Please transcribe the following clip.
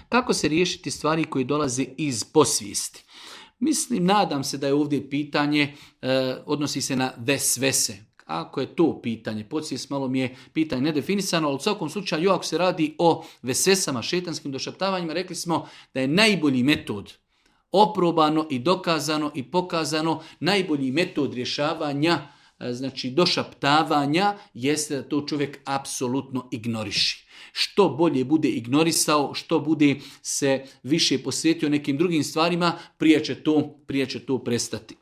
Kako se riješiti stvari koje dolaze iz podsvijesti? Mislim, nadam se da je ovdje pitanje, odnosi se na vesvese. Ako je to pitanje, podsvijest malo mi je pitanje nedefinisano, ali u svakom slučaju ako se radi o vesvesama, šetanskim došaptavanjima, rekli smo da je najbolji metod, oprobano i dokazano i pokazano, najbolji metod rješavanja, znači došaptavanja, jeste da to čovjek apsolutno ignoriši. Što bolje bude ignorisao, što bude se više posvetio nekim drugim stvarima, prije će to prestati.